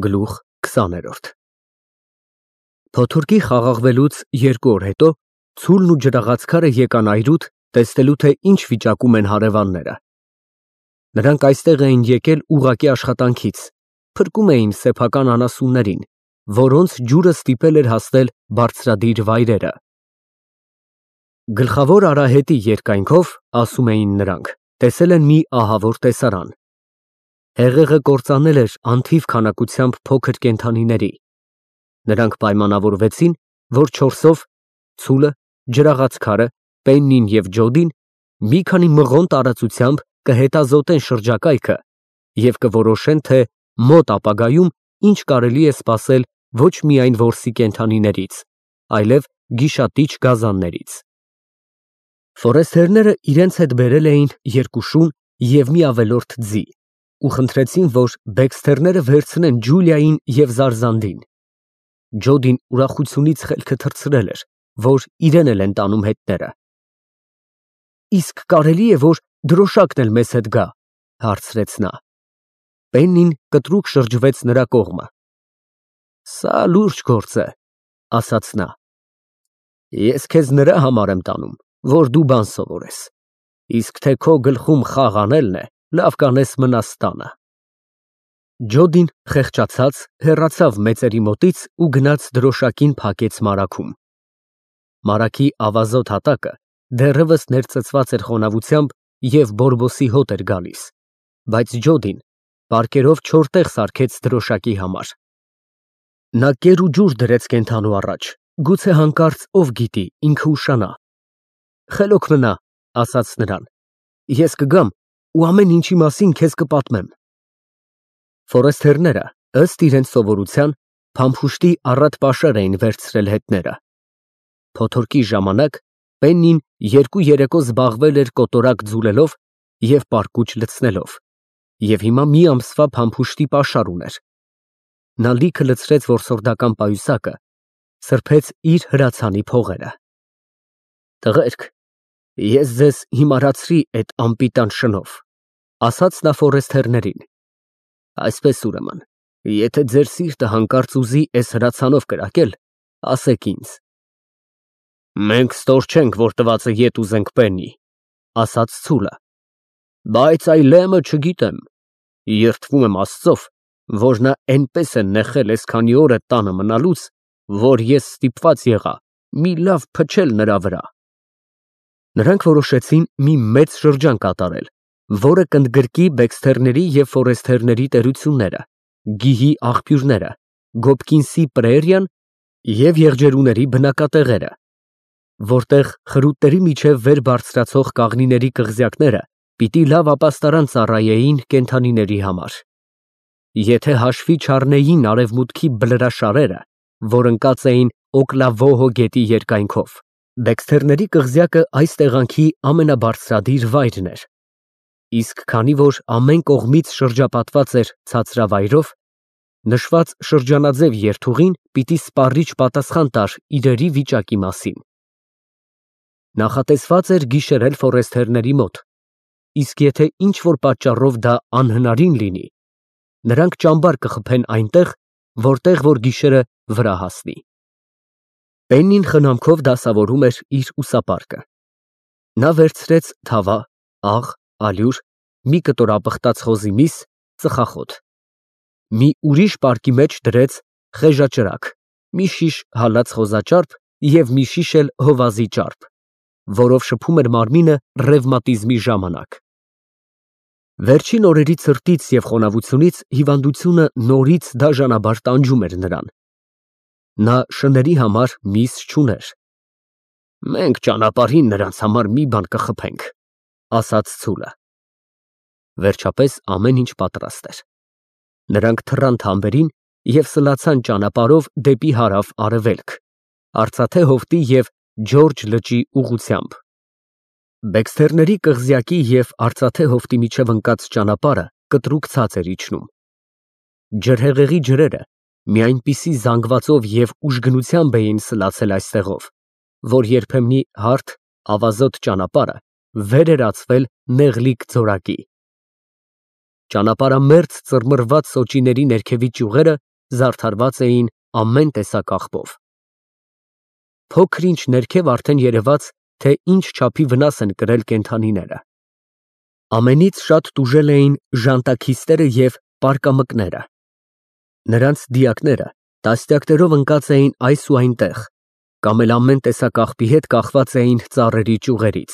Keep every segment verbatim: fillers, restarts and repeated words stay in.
Գլուխ քսաներորդ Փոթորկի խաղաղվելուց երկու օր հետո Ցուլն ու ջրաղացքարը եկան այրուտ, տեսնելու թե ինչ վիճակում են հարևանները։ Նրանք այստեղ էին եկել ուղղակի աշխատանքից, փրկում էին սեփական անասուններին, որոնց ջուրը ստիպել էր հասնել բարձրադիր վայրերը։ Գլխավոր արահետի երկայնքով, ասում էին նրանք, տեսել են մի ահավոր տեսարան։ Հեղեղը կործանել էր անթիվ քանակությամբ փոքր կենդանիների։ Նրանք պայմանավորվեցին, որ չորսով Ցուլը, ջրաղացքարը, Պեննին և Ջոդին մի քանի մղոն տարածությամբ կհետազոտեն շրջակայքը և կորոշեն, թե մոտ ապագայում ինչ կարելի է սպասել ոչ միայն որսի կենդանիներից, այլև գիշատիչ գազաններից։ Ֆորեստերները իրենց հետ բերել էին երկու շուն և մի ավելորդ ձի ու խնդրեցին, որ բեքսթերները վերցնեն Ջուլիային և Զարզանդին։ Ջոդին ուրախությունից խելքը թռցրել էր, որ իրեն էլ են տանում հետները։ Իսկ կարելի է, որ դրոշակն էլ մեզ հետ գա, հարցրեց նա։ Պեննին կտրուկ շրջվեց նրա կողմը։ Սա լուրջ գործ է, ասաց նա։ Ես քեզ նրա համար եմ տանում, որ դու բան սովորես, իսկ թե քո գլխում խաղ անելն է, լավ կանես մնաս տանը։ Ջոդին խեղճացած հեռացավ մեծերի մոտից ու գնաց դրոշակին փակեց մարագում։ Մարագի ավազոտ հատակը դեռևս ներծծված էր խոնավությամբ և բորբոսի հոտ էր գալիս, բայց Ջոդին պարկերով չոր տեղ սարքեց դրոշակի համար։ Նա կեր ու ջուր դրեց կենդանու առաջ, գուցե հանկարծ ով գիտի, ինքը ուշանա։ Խելոք մնա, ասաց նրան, ես կգամ ու ամեն ինչի մասին քեզ կպատմեմ։ Ֆորեստերները, ըստ իրենց սովորության, փամփուշտի առատ պաշար էին վերցրել հետները։ Փոթորկի ժամանակ Պեննին երկու երեկո զբաղվել էր կոտորակ ձուլելով և պարկուճ լցնելով, և հիմա մի ամսվա փամփուշտի պաշար ուներ։ Նա լիքը լցրեց որսորդական պայուսակը, սրբեց իր հրացանի փողերը։ Տղերք, ես ձեզ հիմարացրի էդ անպիտան շնով, ասաց նա ֆորեստերներին։ Այսպես ուրեմն, եթե ձեր սիրտը հանկարծ ուզի էս հրացանով կրակել, ասեք ինձ։ Մենք ստոր չենք, որ տվածը ետ ուզենք Պեննի, ասաց Ցուլը, բայց այլեմը չգիտեմ, երդվում եմ Աստծով, որ նա էնպես է նեխել էս քանի օր էդ տանը մնալուց, որ ես ստիպված եղա մի լավ փչել նրա վրա։ Նրանք որոշեցին մի մեծ շրջան կատարել, որը կընդգրկի բեքսթերների և ֆորեստերների տերությունները, գիհի աղբյուրները, Գոբկինսի պրայերիան և եղջերուների բնակատեղերը, որտեղ խրուտների միջև վեր բարձրացող կաղնիների կղզյակները պիտի լավ ապաստարան ծառայեին կենդանիների համար։ Եթե հաշվի չառնեին արևմուտքի բլրաշարերը, որ ընկած էին Օկլավոհո գետի երկայնքով, բեքսթերների կղզյակը այս տեղանքի ամենաբարձրադիր վայրն էր։ Իսկ քանի որ ամեն կողմից շրջապատված էր ցածրավայրով, նշված շրջանաձև երթուղին պիտի սպառիչ պատասխան տար իրերի վիճակի մասին։ Նախատեսված էր գիշերել ֆորեստերների մոտ, իսկ եթե ինչ-որ պատճառով դա անհնարին լինի, նրանք ճամբար կխփեն այնտեղ, որտեղ որ գիշերը վրա հասնի։ Պեննին խնամքով դասավորում էր իր ուսապարկը։ Նա վերցրեց թավա, աղ, ալյուր, մի կտոր ապխտած խոզի միս, ծխախոտ։ Մի ուրիշ պարկի մեջ դրեց խեժաճրագ, մի շիշ հալած խոզաճարպ և մի շիշ էլ հովազի ճարպ, որով շփում էր մարմինը ռևմատիզմի ժամանակ։ Վերջին օրերի ցրտից և խոնավությունից հիվանդությունը նորից դաժանաբար տանջում էր նրան։ Նա շների համար միս չուներ։ Մենք ճանապարհին նրանց համար մի բան կխփենք, ասաց Ցուլը։ Վերջապես ամեն ինչ պատրաստ էր։ Նրանք թռան թամբերին և սլացան ճանապարհով դեպի հարավ֊արևելք, Արծաթե հովտի և Ջորջը լճի ուղղությամբ։ Բեքսթերների կղզյակի և Արծաթե հովտի միջև ընկած ճանապարհը կտրուկ ցած էր իջնում։ Ջրհեղեղի ջրերը մի այնպիսի զանգվածով և ուժգնությամբ էին սլացել այստեղով, որ երբեմնի հարթ, ավազոտ ճանապարհը վեր էր ածվել նեղլիկ ձորակի։ Ճանապարհամերձ ծռմռված սոճիների ներքևի ճյուղերը զարդարված էին ամեն տեսակ աղբով։ Փոքր-ինչ ներքև արդեն երևաց, թե ինչ չափի վնաս են կրել կենդանիները։ Ամենից շատ տուժել էին ժանտաքիստերը և պարկամկները։ Նրանց դիակները տասնյակներով ընկած էին այս ու այնտեղ, կամ էլ ամեն տեսակ աղբի հետ կախված էին ծառերի ճյուղերից։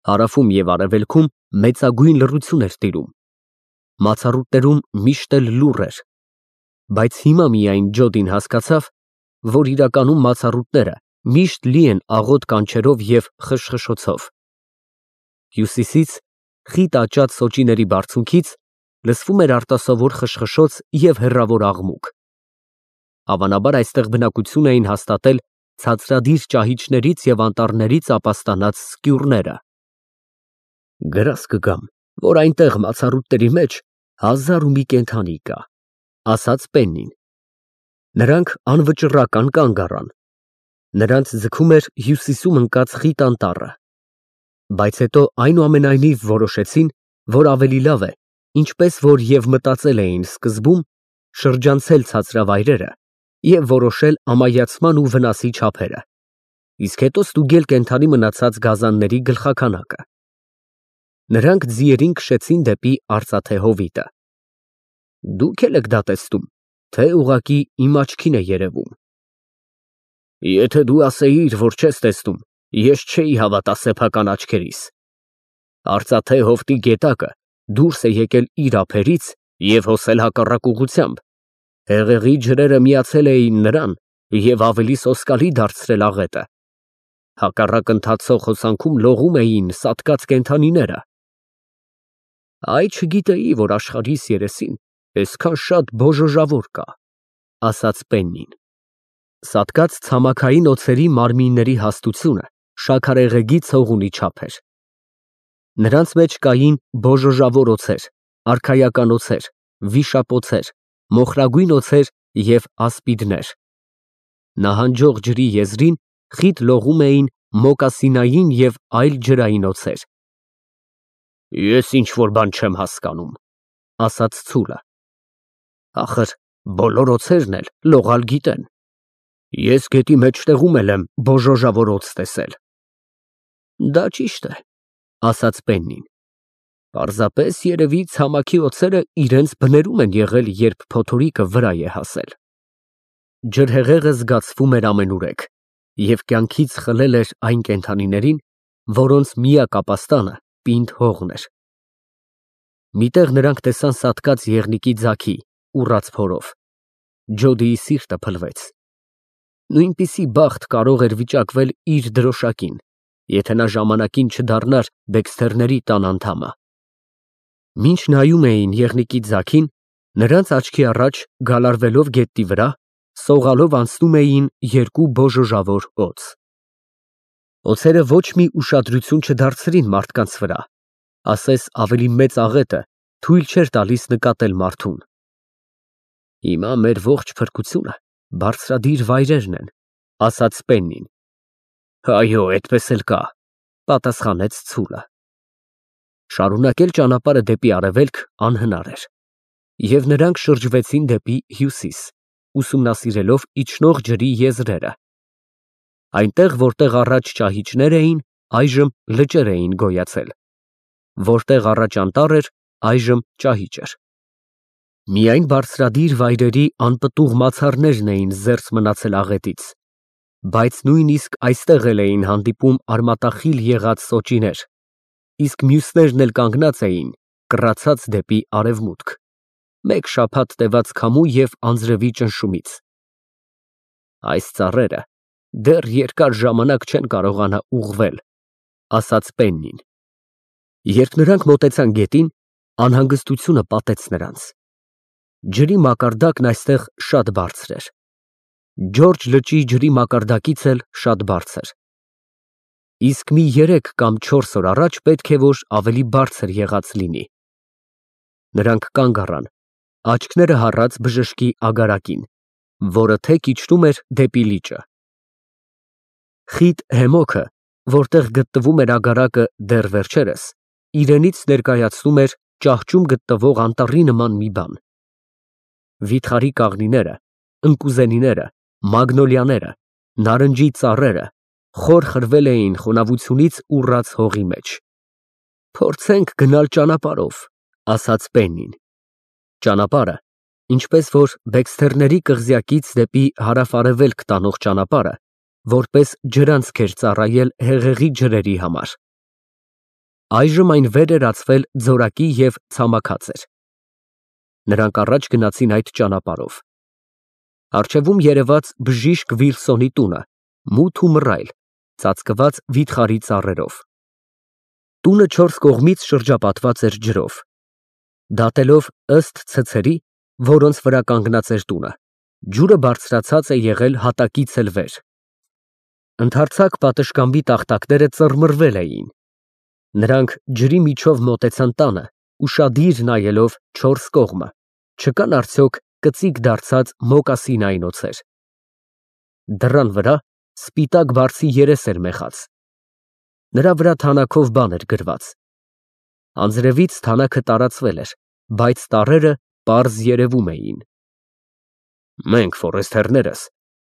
Հարավում և արևելքում մեծագույն լռություն էր տիրում։ Մացառուտներում միշտ էլ լուռ էր, բայց հիմա միայն Ջոդին հասկացավ, որ իրականում մացառուտները միշտ լի են աղոտ կանչերով և խշխշոցով։ Հյուսիսից, խիտ աճած սոճիների բարձունքից լսվում էր արտասովոր խշխշոց և հեռավոր աղմուկ։ Հավանաբար այստեղ բնակություն էին հաստատել ցածրադիր ճահիճներից և անտառներից ապաստանած սկյուռները։ Գրազ կգամ, որ այնտեղ մացառուտների մեջ հազար ու մի կենդանի կա, ասաց Պեննին։ Նրանք անվճռական կանգ առան։ Նրանց ձգում էր հյուսիսում ընկած խիտ անտառը, բայց հետո այնուամենայնիվ որոշեցին, որ ավելի լավ է, ինչպես որ և մտածել էին սկզբում, շրջանցել ցածրավայրերը և որոշել ամայացման ու վնասի չափերը, իսկ հետո ստուգել կենդանի մնացած գազանների գլխաքանակը։ Նրանք ձիերին քշեցին դեպի արծաթե հովիտը։ Դուք էլ եք դա տեսնում, թե ուղղակի իմ աչքին է երևում։ Եթե դու ասեիր, որ չես տեսնում, ես չէի հավատա սեփական աչքերիս։ Արծաթե հովտի գետակը դուրս է եկել իր ափերից և հոսել հակառակ ուղղությամբ։ Հեղեղի ջրերը միացել էին նրան և ավելի սոսկալի դարձրել աղետը։ Հակառակ ընթացող հոսանքում լողում էին սատկած կենդանիները։ Այ չգիտեի, որ աշխարհիս երեսին այսքան շատ բոժոժավոր կա, ասաց Պեննին։ Սատկած ցամաքային օձերի մարմինների հաստությունը շաքարեղեգի ցողունի չափ էր։ Նրանց մեջ կային բոժոժավոր օձեր, արքայական օձեր, վիշապօձեր, մոխրագույն օձեր և ասպիդներ։ Նահանջող ջրի եզրին խիտ լողում էին մոկասինային և այլ ջրային օձեր։ Ես ինչ֊որ բան չեմ հասկանում, ասաց ցուլը։ Ախր բոլոր օձերն էլ լողալ գիտեն։ Ես գետի մեջտեղում էլ եմ բոժոժավոր օձ տեսել։ Դա ճիշտ է, ասաց Պեննին։ Պարզապես երևի ցամաքի օձերը իրենց բներում են եղել, երբ փոթորիկը վրա է հասել։ Ջրհեղեղը զգացվում էր ամենուրեք և կյանքից խլել էր այն կենդանիներին, որոնց միակ ապաստանը պինդ հողն էր։ Մի տեղ նրանք տեսան սատկած եղնիկի ձագի, ուռած փորով։ Ջոդիի սիրտը փլվեց։ Նույնպիսի բախտ կարող էր վիճակվել իր դրոշակին, եթե նա ժամանակին չդառնար Դեքսթերների տան անդամը։ Մինչ նայում էին եղնիկի ձագին, նրանց աչքի առաջ, գալարվելով գետնի վրա, սողալով անցնում էին երկու բոժոժավոր օձ։ Օձերը ոչ մի ուշադրություն չդարձրին մարդկանց վրա, ասես ավելի մեծ աղետը թույլ չէր տալիս նկատել մարդուն։ Հիմա մեր ողջ փրկությունը բարձրադիր վայրերն են, ասաց Պեննին։ Այո, այդպես էլ կա, պատասխանեց ցուլը։ Շարունակել ճանապարհը դեպի արևելք անհնար էր, և նրանք շրջվեցին դեպի հյուսիս, ուսումնասիրելով իջնող ջրի եզրերը։ Այնտեղ, որտեղ առաջ ճահիճներ էին, այժմ լճեր էին գոյացել, որտեղ առաջ անտառ էր, այժմ ճահիճ էր։ Միայն բարձրադիր վայրերի անպտուղ մացառներն էին զերծ մնացել աղետից, բայց նույնիսկ այստեղ էլ էին հանդիպում արմատախիլ եղած սոճիներ, իսկ մյուսներն էլ կանգնած էին, կռացած դեպի արևմուտք, մեկ շաբաթ տևած քամու և անձրևի ճնշումից։ Այս ծառերը դեռ երկար ժամանակ չեն կարողանա ուղղվել, ասաց Պեննին։ Երբ նրանք մոտեցան գետին, անհանգստությունը պատեց նրանց։ Ջրի մակարդակն այստեղ շատ բարձր էր։ Ջորջ լճի ջրի մակարդակից էլ շատ բարձր։ Իսկ մի երեք կամ չորս օր առաջ պետք է որ ավելի բարձր եղած լինի։ Նրանք կանգ առան, աչքները հառած բժշկի ագարակին, որը թեք իջնում էր դեպի լիճը։ Խիտ հեմոքը, որտեղ գտնվում էր ագարակը դեռ վերջերս, իրենից ներկայացնում էր ճահճում գտնվող անտառի նման մի բան։ վիթխարի կաղնիները, ընկուզենիները, մագնոլիաները, նարնջի ծառերը խոր խրվել էին խոնավությունից ուռած հողի մեջ։ Փորձենք գնալ ճանապարհով, ասաց Պեննին։ Ճանապարհը, ինչպես որ Բեքսթերների կղզյակից դեպի հարավ-արևելք տանող ճանապարհը, որպես ջրանցք էր ծառայել հեղեղի ջրերի համար։ Այժմ այն վեր էր ածվել ձորակի և ցամաքած էր։ Նրանք առաջ գնացին այդ ճանապարհով։ Առջևում երևաց բժիշկ Վիլսոնի տունը, մութ ու մռայլ, ծածկված վիթխարի ծառերով։ Տունը չորս կողմից շրջապատված էր ջրով։ Դատելով ըստ ցցերի, որոնց վրա կանգնած էր տունը, ջուրը բարձրացած է եղել հատակից էլ վեր։ Ընդարձակ պատշգամբի տախտակները ծռմռվել էին։ Նրանք ջրի միջով մոտեցան տանը, ուշադիր նայելով չորս կողմը, չկան արդյոք կծիկ դարձած մոկասինային օձեր։ Դռան վրա սպիտակ բարձի երես էր մեխած։ Նրա վրա թանաքով բան էր գրված։ Անձրևից թանաքը տարածվել էր, բայց տառերը պարզ երևում էին։ Մենք ֆորեսթերներս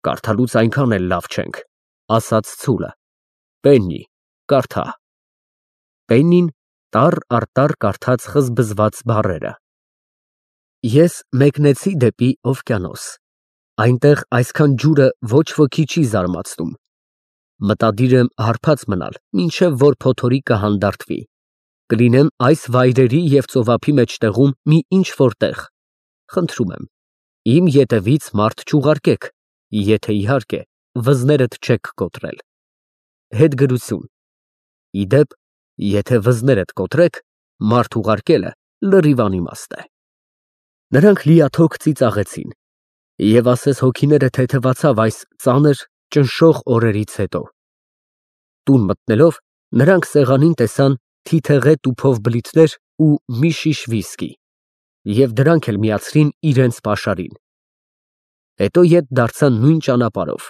կարդալուց այնքան էլ լավ չենք, ասաց ցուլը։ Պեննի, կարդա։ Պեննին տառ առ տառ կարդաց խզբզված բառերը։ Ես մեկնեցի դեպի օվկիանոս։ Այնտեղ այսքան ջուրը ոչ ոքի չի զարմացնում։ Մտադիր եմ հարբած մնալ, մինչև որ փոթորիկը հանդարտվի։ Կլինեմ այս վայրերի և ծովափի մեջտեղում մի ինչ֊որ տեղ։ Խնդրում եմ, իմ ետևից մարդ չուղարկեք, եթե, իհարկե, վզներդ չեք կոտրել։ Հետգրություն։ Ի դեպ, եթե վզներդ կոտրեք, մարդ ուղարկելը լրիվ անիմաստ է։ Նրանք լիաթոք ծիծաղեցին, և ասես հոգիները թեթևացավ այս ծանր, ճնշող օրերից հետո։ Տուն մտնելով, նրանք սեղանին տեսան թիթեղե տուփով բլիթներ ու մի շիշ վիսկի և դրանք էլ միացրին իրենց պաշարին։ Հետո ետ դարձան նույն ճանապարհով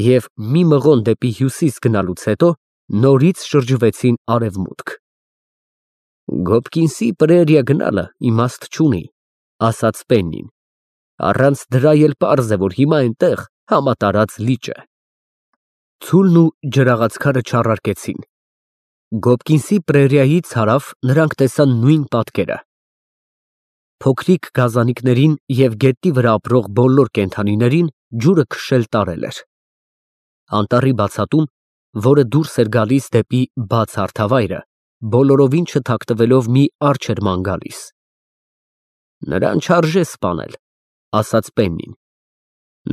և մի մղոն դեպի հյուսիս գնալուց հետո նորից շրջվեցին արևմուտք։ Գոբկինսի պրերիա գնալը իմաստ չունի, ասաց Պեննին։ Առանց դրա էլ պարզ է, որ հիմա այնտեղ համատարած լիճ է։ Ցուլն ու ջրաղացքարը չառարկեցին։ Գոբկինսի պրերիայից հարավ նրանք տեսան նույն պատկերը։ Փոքրիկ գազանիկներին և գետնի վրա ապրող բոլոր կենդանիներին ջուրը քշել տարել էր։ Անտառի բացատում, որը դուրս էր գալիս դեպի բաց հարթավայրը, բոլորովին չթաքնվելով մի արջ էր ման գալիս։ Նրան չարժե սպանել, ասաց Պեննին։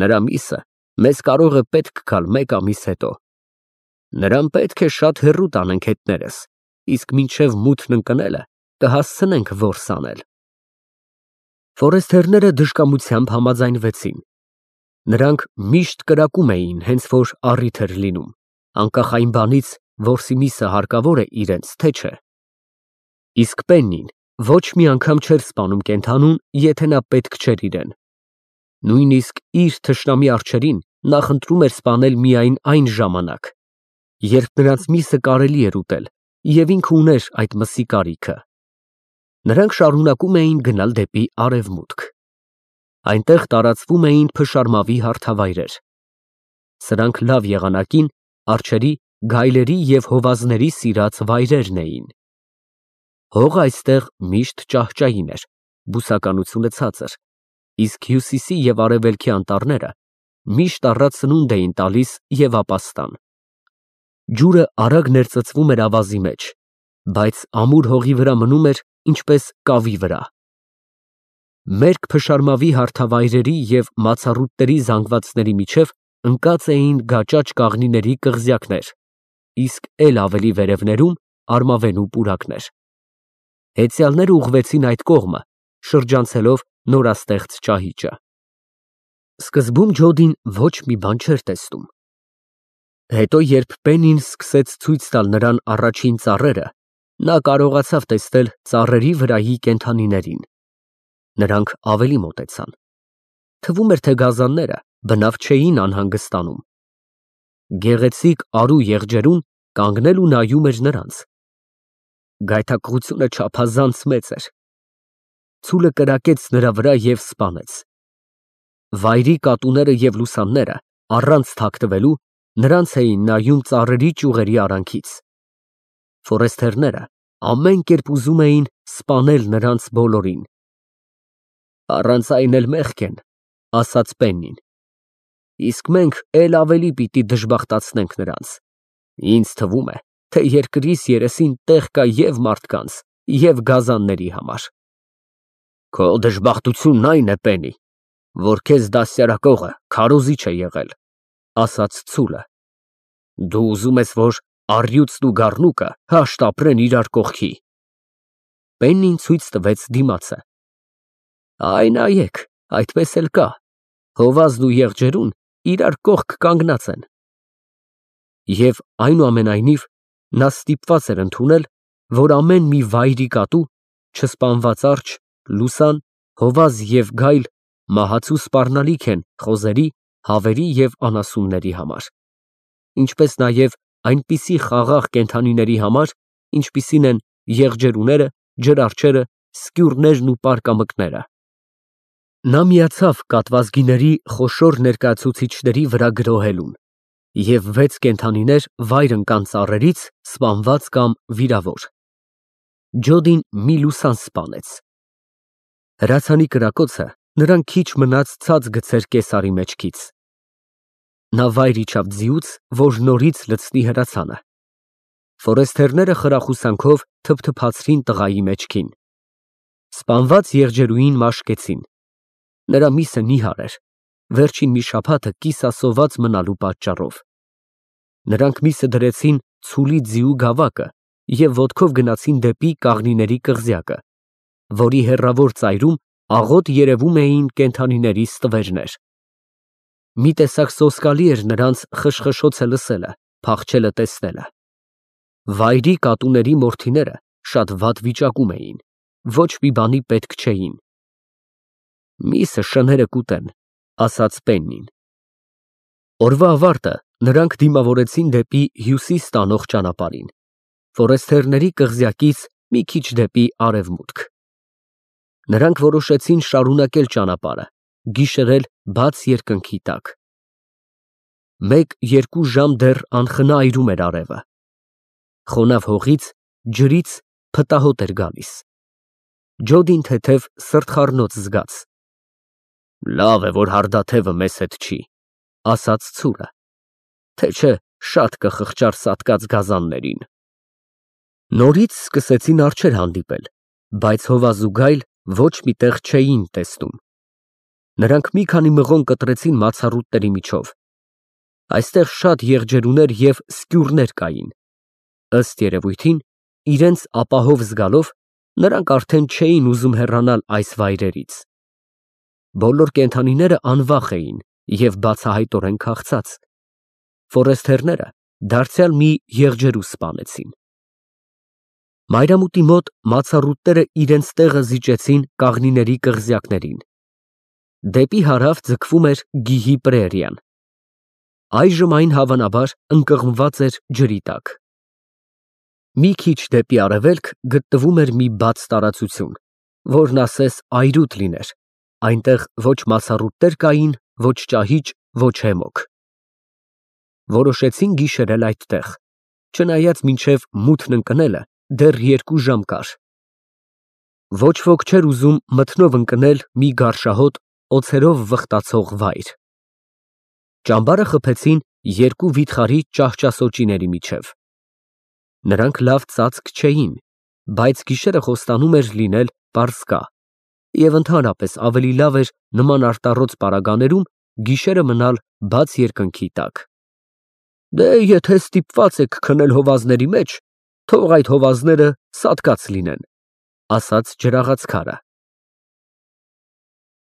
Նրա միսը մեզ կարող է պետք գալ մեկ ամիս հետո։ Նրան պետք է շատ հեռու տանենք հետներս, իսկ մինչև մութն ընկնելը կհասցնենք որս անել։ Ֆորեսթերները դժկամությամբ համաձայնվեցին։ Նրանք միշտ կրակում էին, հենց որ առիթ էր լինում, անկախ այն բանից, որսի միսը հարկավոր է իրենց, թե չէ։ Իսկ Պեննին ոչ մի անգամ չէր սպանում կենդանուն, եթե նա պետք չէր իրեն։ Նույնիսկ իր թշնամի արջերին նա խնդրում էր սպանել միայն այն ժամանակ, երբ նրանց միսը կարելի էր ուտել, և ինքը ուներ այդ մսի կարիքը։ Նրանք շարունակում էին գնալ դեպի արևմուտք։ Այնտեղ տարածվում էին փշարմավի հարթավայրեր։ Սրանք լավ եղանակին արջերի, գայլերի և հովազների սիրած վայրերն էին։ Հողը այստեղ միշտ ճահճային էր, բուսականությունը ցածր, իսկ հյուսիսի և արևելքի անտառները միշտ առատ սնունդ էին տալիս և ապաստան։ Ջուրը արագ ներծծվում էր ավազի մեջ, բայց ամուր հողի վրա մնում էր, ինչպես կավի վրա։ Մերկ փշարմավի հարթավայրերի և մացառուտների զանգվածների միջև ընկած էին գաճաճ կաղնիների կղզյակներ, իսկ էլ ավելի վերևներում արմավենու պուրակներ։ Հեծյալները ուղղվեցին այդ կողմը, շրջանցելով նորաստեղծ ճահիճը։ Սկզբում Ջոդին ոչ մի բան չէր տեսնում։ Հետո, երբ Պեննին սկսեց ցույց տալ նրան առաջին ծառերը, նա կարողացավ տեսնել ծառերի վրայի կենդանիներին։ Նրանք ավելի մոտեցան։ Թվում էր, թե գազանները բնավ չէին անհանգստանում։ Գեղեցիկ արու եղջերուն կանգնել ու նայում էր նրանց։ Գայթակղությունը չափազանց մեծ էր։ Ցուլը կրակեց նրա վրա և սպանեց։ Վայրի կատուները և լուսանները, առանց թաքնվելու, նրանց էին նայում ծառերի ճյուղերի արանքից։ Ֆորեստերները ամեն կերպ ուզում էին սպանել նրանց բոլորին։ «Առանց այն էլ մեղք են», ֊ ասաց Պեննին, «իսկ մենք էլ ավելի պիտի դժբախտացնենք նրանց։ Ինձ թվում է, թե երկրիս երեսին տեղ կա և մարդկանց, և գազանների համար»։ «Քո դժբախտությունն այն է, Պեննի, որ քեզ դաստիարակողը քարոզիչ է եղել», ֊ ասաց ծուլը։ «Դու ուզում ես, որ առյուծն ու գառնուկը հաշտ ապրեն իրար կողքի»։ Պեննին ցույց տվեց դիմացը։ «Այ նայեք, այդպես էլ կա, հովազն ու եղջերուն իրար կողք կանգնած են»։ Եվ այնուամենայնիվ նա ստիպված էր ընդունել, որ ամեն մի վայրի կատու, չսպանված արջը, լուսան, հովազ և գայլ մահացու սպառնալիք են խոզերի, հավերի և անասունների համար, ինչպես նաև այնպիսի խաղաղ կենդանիների համար, ինչպիսին են եղջերուները, ջրարջերը, սկյուրներն ու պարկամկները։ Նա միացավ կատվազգիների խոշոր ներկայացուցիչների վրա գրոհելուն, և վեց կենդանիներ վայր ընկան ծառերից, սպանված կամ վիրավոր։ Ջոդին մի լուսան սպանեց։ Հրացանի կրակոցը նրան քիչ մնաց ցած գցեր կեսարի մեջքից։ Նա վայր իջավ ձիուց, որ նորից լցնի հրացանը։ Ֆորեստերները խրախուսանքով թփթփացրին տղայի մեջքին։ Սպանված եղջերուին մաշկեցին։ Նրա միսը նիհար էր, վերջին մի շաբաթը կիսասոված մնալու պատճառով։ Նրանք միսը դրեցին ցուլի ձիու գավակը և ոտքով գնացին դեպի կաղնիների կղզյակը, որի հեռավոր ծայրում աղոտ երևում էին կենդանիների ստվերներ։ Մի տեսակ սոսկալի էր նրանց խշխշոցը լսելը, փախչելը տեսնելը։ Վայրի կատուների մորթիները շատ վատ վիճակում էին, ոչ մի բանի պետք չէին։ «Միսը շները կուտեն», ֊ ասաց Պեննին։ Օրվա ավարտը նրանք դիմավորեցին դեպի հյուսիս տանող ճանապարհին, ֆորեստերների կղզյակից մի քիչ դեպի արևմուտք։ Նրանք որոշեցին շարունակել ճանապարհը, գիշերել բաց երկնքի տակ։ Մեկ֊երկու ժամ դեռ անխնա այրում էր արևը։ Խոնավ հողից, ջրից փտահոտ էր գալիս։ Ջոդին թեթև սրտխառնոց զգաց։ «Լավ է, որ հարդաթևը մեզ հետ չի», ֊ ասաց ցուլը, «թե չէ շատ կխղճար սատկած գազաններին»։ Նորից սկսեցին արջեր հանդիպել, բայց հովազ ու գայլ ոչ մի տեղ չէին տեսնում։ Նրանք մի քանի մղոն կտրեցին մացառուտների միջով։ Այստեղ շատ եղջերուներ և սկյուրներ կային։ Ըստ երևույթին, իրենց ապահով զգալով, նրանք արդեն չէին ուզում հեռանալ այս վայրերից։ Բոլոր կենդանիները անվախ էին և բացահայտորեն քաղցած։ Ֆորեստերները դարձյալ մի եղջերու սպանեցին։ Մայրամուտի մոտ մացառուտները իրենց տեղը զիջեցին կաղնիների կղզյակներին։ Դեպի հարավ ձգվում էր գիհի պրերիան։ Այժմ այն հավանաբար ընկղմված էր ջրի տակ։ Մի քիչ դեպի արևելք գտնվում էր մի բաց տարածություն, որն ասես այրուտ լիներ, այնտեղ ոչ մացառուտներ կային, ոչ ճահիճ, ոչ հեմոք։ Որոշեցին գիշերել այդտեղ, չնայած մինչև մութն ընկնելը դեռ երկու ժամ կար։ Ոչ ոք չէր ուզում մթնով ընկնել մի գարշահոտ, օձերով վխտացող վայր։ Ճամբարը խփեցին երկու վիթխարի ճահճասոճիների միջև։ Նրանք լավ ծածկ չէին, բայց գիշերը խոստանում էր լինել պարսկա, և ընդհանրապես ավելի լավ էր նման արտառոց պարագաներում գիշերը մնալ բաց երկնքի տակ։ «Դե եթե ստիպված եք քնել հովազների մեջ, թող այդ հովազները սատկած լինեն», ֊ ասաց ջրաղացքարը։